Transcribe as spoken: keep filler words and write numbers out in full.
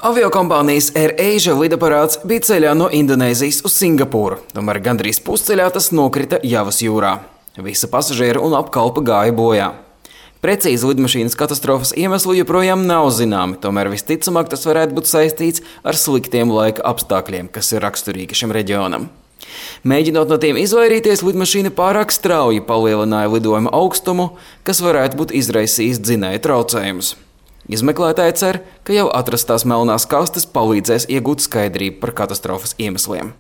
Aviokompānijas AirAsia lidaparāts bija ceļā no Indonēzijas uz Singapūru, tomēr gandrīz pusceļā tas nokrita Javas jūrā. Visa pasažiera un apkalpe gāja bojā. Precīzi lidmašīnas katastrofas iemeslu joprojām nav zināmi, tomēr visticamāk tas varētu būt saistīts ar sliktiem laika apstākļiem, kas ir raksturīgi šim reģionam. Mēģinot no tiem izvairīties, lidmašīna pārāk strauji palielināja lidojuma augstumu, kas varētu būt izraisījis dzinēja traucējumus. Izmeklētāji cer, ka jau atrastās melnās kastes palīdzēs iegūt skaidrību par katastrofas iemesliem.